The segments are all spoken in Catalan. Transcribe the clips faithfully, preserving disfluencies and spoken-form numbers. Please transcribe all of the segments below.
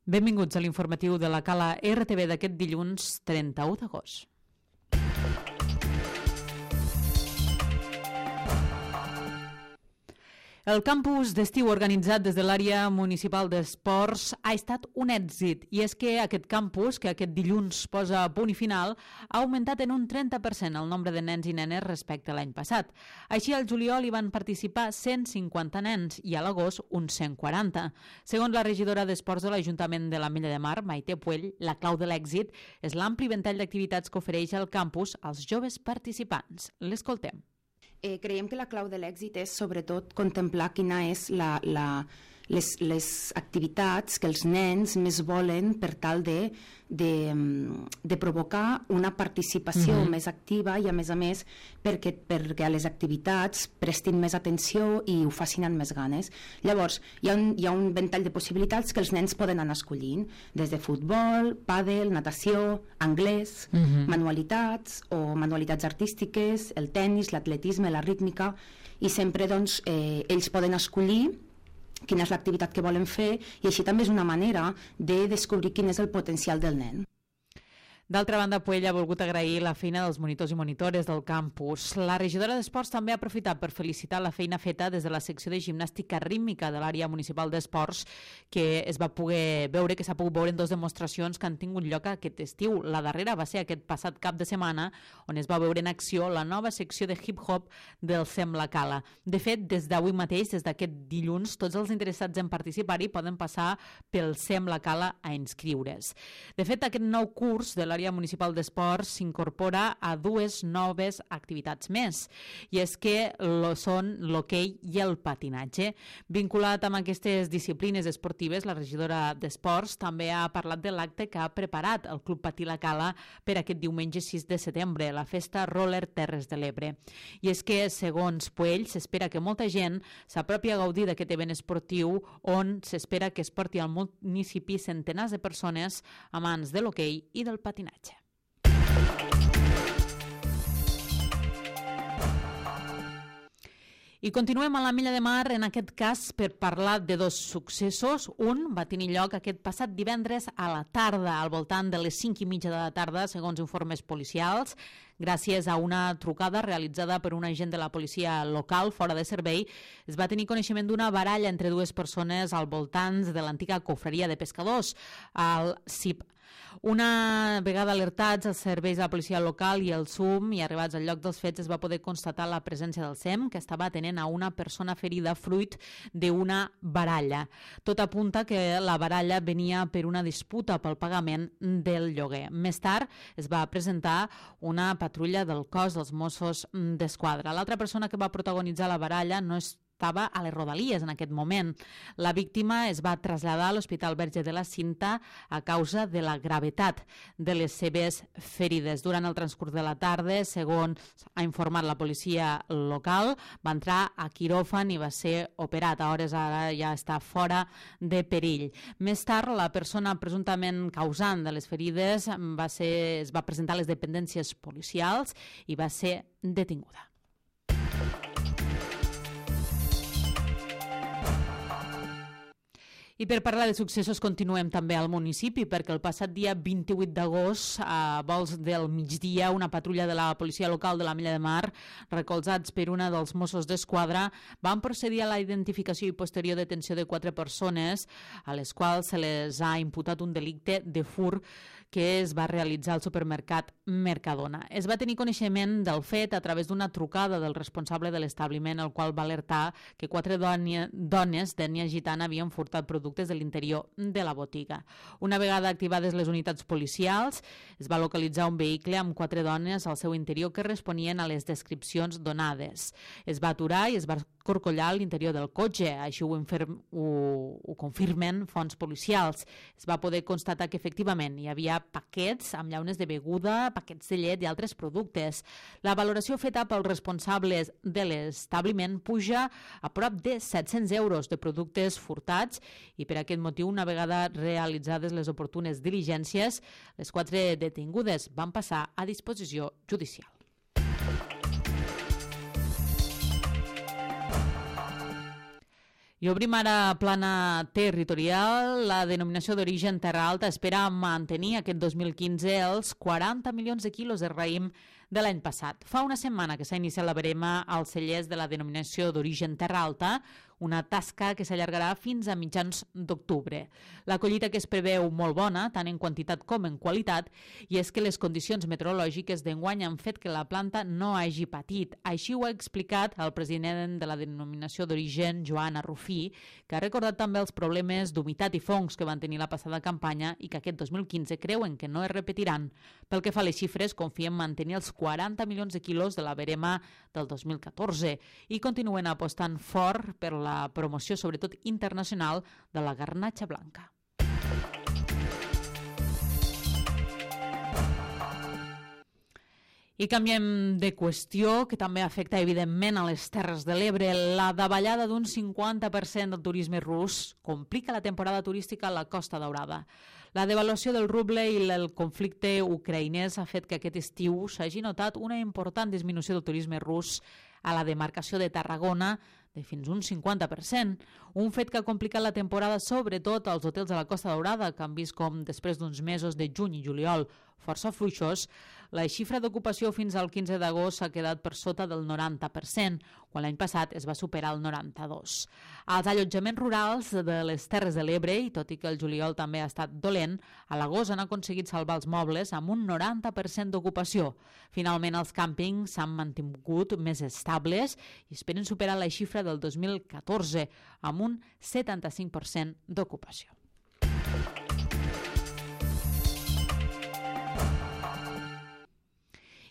Benvinguts a l'informatiu de la Cala R T V d'aquest dilluns trenta-u d'agost. El campus d'estiu organitzat des de l'àrea municipal d'esports ha estat un èxit, i és que aquest campus, que aquest dilluns posa punt i final, ha augmentat en un trenta per cent el nombre de nens i nenes respecte a l'any passat. Així, al juliol hi van participar cent cinquanta nens i a l'agost uns cent quaranta. Segons la regidora d'Esports de l'Ajuntament de l'Ametlla de Mar, Maite Puell, la clau de l'èxit és l'ampli ventall d'activitats que ofereix el campus als joves participants. L'escoltem. Eh, creiem que la clau de l'èxit és sobretot contemplar quina és la, la, les, les activitats que els nens més volen per tal de, de, de provocar una participació mm-hmm. més activa i a més a més perquè, perquè a les activitats prestin més atenció i ho facin amb més ganes. Llavors hi ha, un, hi ha un ventall de possibilitats que els nens poden anar escollint, des de futbol, pàdel, natació, anglès, mm-hmm. manualitats o manualitats artístiques, el tennis, l'atletisme, la rítmica, i sempre doncs, eh, ells poden escollir quina és l'activitat que volen fer, i així també és una manera de descobrir quin és el potencial del nen. D'altra banda, Puell ha volgut agrair la feina dels monitors i monitores del campus. La regidora d'Esports també ha aprofitat per felicitar la feina feta des de la secció de gimnàstica rítmica de l'àrea municipal d'esports, que es va poder veure, que s'ha pogut veure en dues demostracions que han tingut lloc aquest estiu. La darrera va ser aquest passat cap de setmana, on es va veure en acció la nova secció de hip-hop del Sem la Cala. De fet, des d'avui mateix, des d'aquest dilluns, tots els interessats en participar-hi poden passar pel Sem la Cala a inscriure's. De fet, aquest nou curs de l'àrea municipal d'esports s'incorpora a dues noves activitats més, i és que lo són l'hoquei i el patinatge. Vinculat amb aquestes disciplines esportives, la regidora d'Esports també ha parlat de l'acte que ha preparat el Club Patí La Cala per aquest diumenge sis de setembre, la festa Roller Terres de l'Ebre. I és que, segons Puell, s'espera que molta gent s'apropi a gaudir d'aquest event esportiu, on s'espera que es porti al municipi centenars de persones amants de l'hoquei i del patinatge. I continuem a l'Ametlla de Mar, en aquest cas per parlar de dos successos. Un va tenir lloc aquest passat divendres a la tarda, al voltant de les cinc i mitja de la tarda, segons informes policials. Gràcies a una trucada realitzada per un agent de la policia local fora de servei, es va tenir coneixement d'una baralla entre dues persones al voltant de l'antiga cofreria de pescadors, al C I P. Una vegada alertats els serveis de la policia local i el S U M i arribats al lloc dels fets, es va poder constatar la presència del S E M, que estava atenent a una persona ferida fruit d'una baralla. Tot apunta que la baralla venia per una disputa pel pagament del lloguer. Més tard es va presentar una patrulla del cos dels Mossos d'Esquadra. L'altra persona que va protagonitzar la baralla no és estava a les Rodalies en aquest moment. La víctima es va traslladar a l'Hospital Verge de la Cinta a causa de la gravetat de les seves ferides. Durant el transcurs de la tarda, segons ha informat la policia local, va entrar a quiròfan i va ser operat. A hores ara ja està fora de perill. Més tard, la persona presumptament causant de les ferides va ser, es va presentar a les dependències policials i va ser detinguda. I per parlar de successos continuem també al municipi, perquè el passat dia vint-i-vuit d'agost, a vols del migdia, una patrulla de la policia local de l'Ametlla de Mar, recolzats per una dels Mossos d'Esquadra, van procedir a la identificació i posterior detenció de quatre persones, a les quals se les ha imputat un delicte de furt que es va realitzar al supermercat Mercadona. Es va tenir coneixement del fet a través d'una trucada del responsable de l'establiment, el qual va alertar que quatre dones d'ètnia gitana havien furtat productes de l'interior de la botiga. Una vegada activades les unitats policials, es va localitzar un vehicle amb quatre dones al seu interior que responien a les descripcions donades. Es va aturar i es va corcollar a l'interior del cotxe, així ho, inferm, ho, ho confirmen fonts policials. Es va poder constatar que efectivament hi havia paquets amb llaunes de beguda, paquets de llet i altres productes. La valoració feta pels responsables de l'establiment puja a prop de set-cents euros de productes furtats, i per aquest motiu, una vegada realitzades les oportunes diligències, les quatre detingudes van passar a disposició judicial. I obrim ara plana territorial. La denominació d'origen Terra Alta espera mantenir aquest dos mil quinze els quaranta milions de quilos de raïm de l'any passat. Fa una setmana que s'ha iniciat la verema als cellers de la denominació d'origen Terra Alta, una tasca que s'allargarà fins a mitjans d'octubre. La collita que es preveu molt bona, tant en quantitat com en qualitat, i és que les condicions meteorològiques d'enguany han fet que la planta no hagi patit. Així ho ha explicat el president de la denominació d'origen, Joan Arrufí, que ha recordat també els problemes d'humitat i fongs que van tenir la passada campanya i que aquest dos mil quinze creuen que no es repetiran. Pel que fa a les xifres, confien mantenir els quaranta milions de quilos de la verema del dos mil catorze i continuen apostant fort per la promoció, sobretot internacional, de la garnatxa blanca. I canviem de qüestió, que també afecta evidentment a les Terres de l'Ebre. La davallada d'un cinquanta per cent del turisme rus complica la temporada turística a la Costa Daurada. La devaluació del ruble i el conflicte ucraïnès ha fet que aquest estiu s'hagi notat una important disminució del turisme rus a la demarcació de Tarragona de fins un cinquanta per cent, un fet que ha complicat la temporada sobretot als hotels de la Costa Daurada, que han vist com després d'uns mesos de juny i juliol força fluixos, la xifra d'ocupació fins al quinze d'agost s'ha quedat per sota del noranta per cent, quan l'any passat es va superar el noranta-dos per cent. Els allotjaments rurals de les Terres de l'Ebre, i tot i que el juliol també ha estat dolent, a l'agost han aconseguit salvar els mobles amb un noranta per cent d'ocupació. Finalment, els càmpings s'han mantingut més estables i esperen superar la xifra del dos mil catorze, amb un setanta-cinc per cent d'ocupació.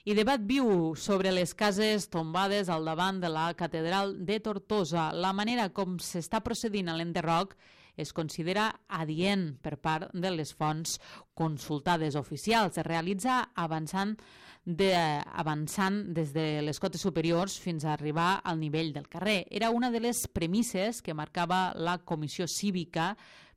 I debat viu sobre les cases tombades al davant de la Catedral de Tortosa. La manera com s'està procedint a l'enderroc es considera adient per part de les fonts consultades oficials. Es realitza avançant, de, avançant des de les cotes superiors fins a arribar al nivell del carrer. Era una de les premisses que marcava la comissió cívica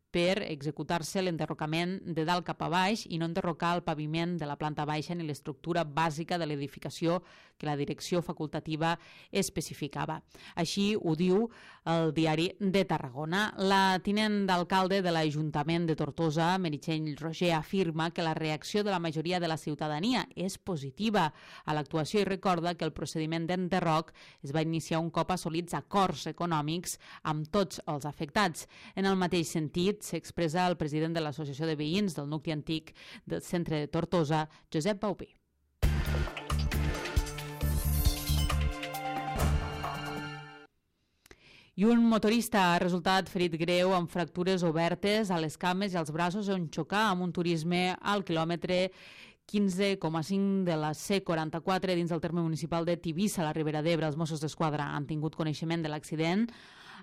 per executar-se l'enderrocament de dalt cap a baix i no enderrocar el paviment de la planta baixa ni l'estructura bàsica de l'edificació que la direcció facultativa especificava. Així ho diu el Diari de Tarragona. La tinent d'alcalde de l'Ajuntament de Tortosa, Meritxell Roger, afirma que la reacció de la majoria de la ciutadania és positiva a l'actuació i recorda que el procediment d'enderroc es va iniciar un cop assolits acords econòmics amb tots els afectats. En el mateix sentit, s'expressa el president de l'Associació de Veïns del nucli antic del centre de Tortosa, Josep Baupí. I un motorista ha resultat ferit greu amb fractures obertes a les cames i als braços on xocà amb un turisme al quilòmetre quinze coma cinc de la C quaranta-quatre dins del terme municipal de Tivissa, a la Ribera d'Ebre. Els Mossos d'Esquadra han tingut coneixement de l'accident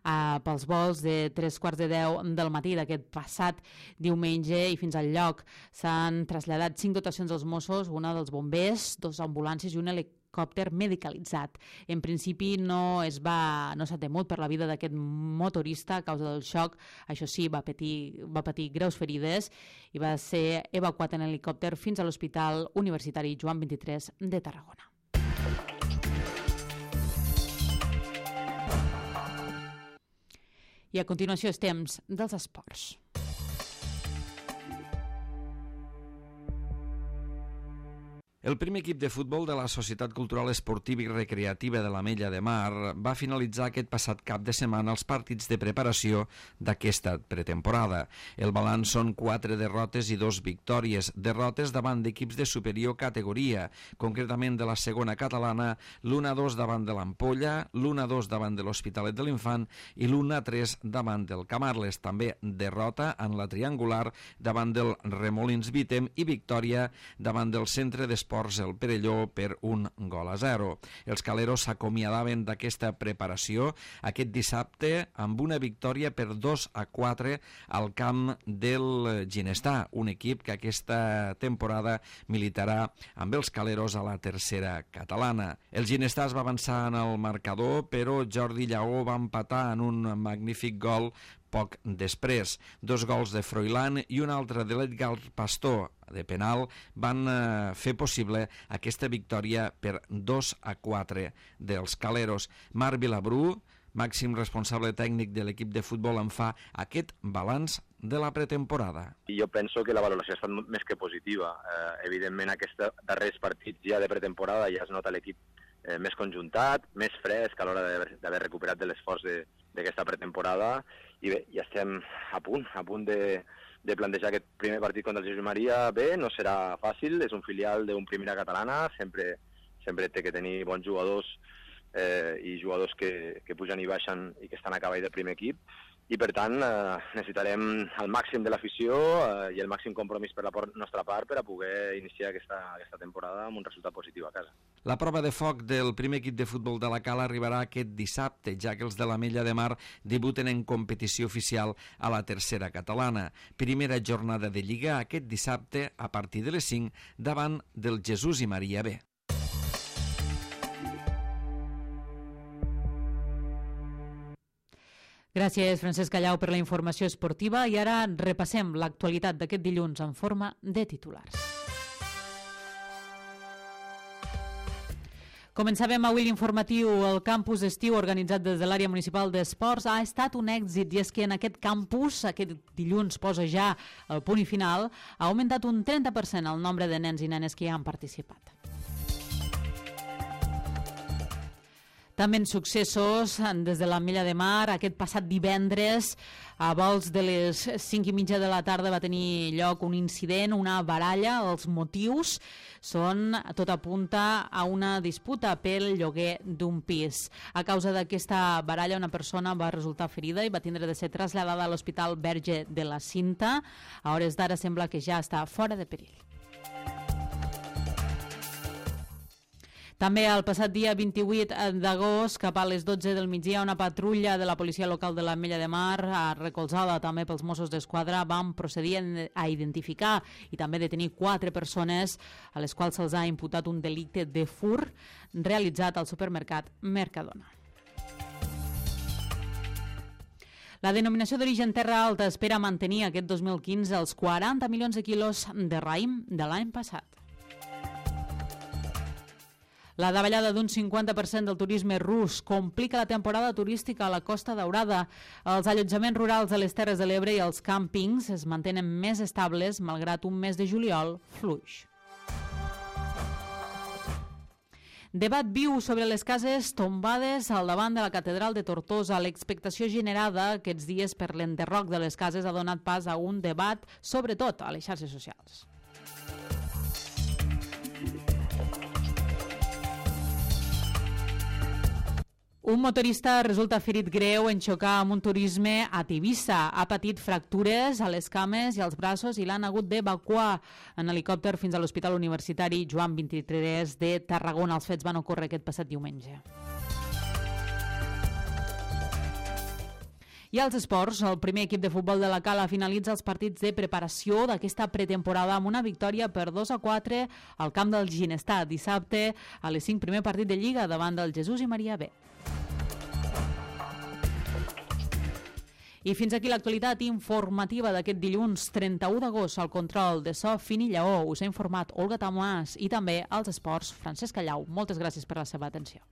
Uh, pels vols de tres quarts de deu del matí d'aquest passat diumenge i fins al lloc s'han traslladat cinc dotacions dels Mossos, una dels bombers, dos ambulàncies i un helicòpter medicalitzat. En principi no es va, no s'ha temut per la vida d'aquest motorista a causa del xoc. Això sí, va patir, va patir greus ferides i va ser evacuat en helicòpter fins a l'Hospital Universitari Joan vint-i-tres de Tarragona. I a continuació és temps dels esports. El primer equip de futbol de la Societat Cultural Esportiva i Recreativa de l'Ametlla de Mar va finalitzar aquest passat cap de setmana els partits de preparació d'aquesta pretemporada. El balanç són quatre derrotes i dos victòries. Derrotes davant d'equips de superior categoria, concretament de la segona catalana, l'u a dos davant de l'Ampolla, l'u a dos davant de l'Hospitalet de l'Infant i l'u a tres davant del Camarles. També derrota en la triangular davant del Remolins Vítem i victòria davant del Centre d'Esports el Perelló per un gol a zero. Els caleros s'acomiadaven d'aquesta preparació aquest dissabte amb una victòria per dos a quatre al camp del Ginestà, un equip que aquesta temporada militarà amb els caleros a la tercera catalana. El Ginestà es va avançar en el marcador, però Jordi Lleó va empatar en un magnífic gol poc després. Dos gols de Froilán i un altre de l'Edgar Pastor de penal van eh, fer possible aquesta victòria per dos a quatre dels caleros. Marc Vilabrú màxim responsable tècnic de l'equip de futbol, en fa aquest balanç de la pretemporada. Jo penso que la valoració ha estat més que positiva. Eh, evidentment, aquests darrers partits ja de pretemporada ja es nota l'equip eh, més conjuntat, més fresc a l'hora d'haver recuperat de l'esforç d'aquesta pretemporada, i bé, ja estem a punt, a punt de, de plantejar aquest primer partit contra el Jesús Maria. Bé, no serà fàcil, és un filial d'un primera catalana, sempre, sempre té que tenir bons jugadors eh, i jugadors que, que pugen i baixen i que estan a cavall del primer equip, i per tant eh, necessitarem el màxim de l'afició eh, i el màxim compromís per la nostra part per a poder iniciar aquesta, aquesta temporada amb un resultat positiu a casa. La prova de foc del primer equip de futbol de la Cala arribarà aquest dissabte, ja que els de l'Ametlla de Mar debuten en competició oficial a la tercera catalana. Primera jornada de Lliga aquest dissabte a partir de les cinc davant del Jesús i Maria B. Gràcies, Francesc Callau, per la informació esportiva. I ara repassem l'actualitat d'aquest dilluns en forma de titulars. Començàvem avui l'informatiu. El campus estiu organitzat des de l'àrea municipal d'esports ha estat un èxit, i és que en aquest campus, aquest dilluns posa ja el punt i final, ha augmentat un trenta per cent el nombre de nens i nenes que hi han participat. També en successos, des de l'Ametlla de Mar, aquest passat divendres, a vols de les cinc i mitja de la tarda va tenir lloc un incident, una baralla. Els motius són, tot apunta a una disputa pel lloguer d'un pis. A causa d'aquesta baralla, una persona va resultar ferida i va tindre de ser traslladada a l'Hospital Verge de la Cinta. A hores d'ara sembla que ja està fora de perill. També el passat dia vint-i-vuit d'agost, cap a les dotze del migdia, una patrulla de la policia local de l'Ametlla de Mar, recolzada també pels Mossos d'Esquadra, van procedir a identificar i també detenir quatre persones a les quals se'ls ha imputat un delicte de furt realitzat al supermercat Mercadona. La denominació d'origen Terra Alta espera mantenir aquest dos mil quinze els quaranta milions de quilos de raïm de l'any passat. La davallada d'un cinquanta per cent del turisme rus complica la temporada turística a la Costa Daurada. Els allotjaments rurals de les Terres de l'Ebre i els càmpings es mantenen més estables malgrat un mes de juliol fluix. Debat viu sobre les cases tombades al davant de la catedral de Tortosa. L'expectació generada aquests dies per l'enderroc de les cases ha donat pas a un debat, sobretot a les xarxes socials. Un motorista resulta ferit greu en xocar amb un turisme a Tivissa. Ha patit fractures a les cames i als braços i l'han hagut d'evacuar en helicòpter fins a l'Hospital Universitari Joan vint-i-tres de Tarragona. Els fets van ocórrer aquest passat diumenge. I als esports, el primer equip de futbol de la Cala finalitza els partits de preparació d'aquesta pretemporada amb una victòria per dos a quatre al camp del Ginestar. Dissabte, a les cinc, primer partit de Lliga davant del Jesús i Maria B. I fins aquí l'actualitat informativa d'aquest dilluns trenta-u d'agost. Al control de so, Fini Lleó. Us ha informat Olga Tamàs i també als esports, Francesc Callau. Moltes gràcies per la seva atenció.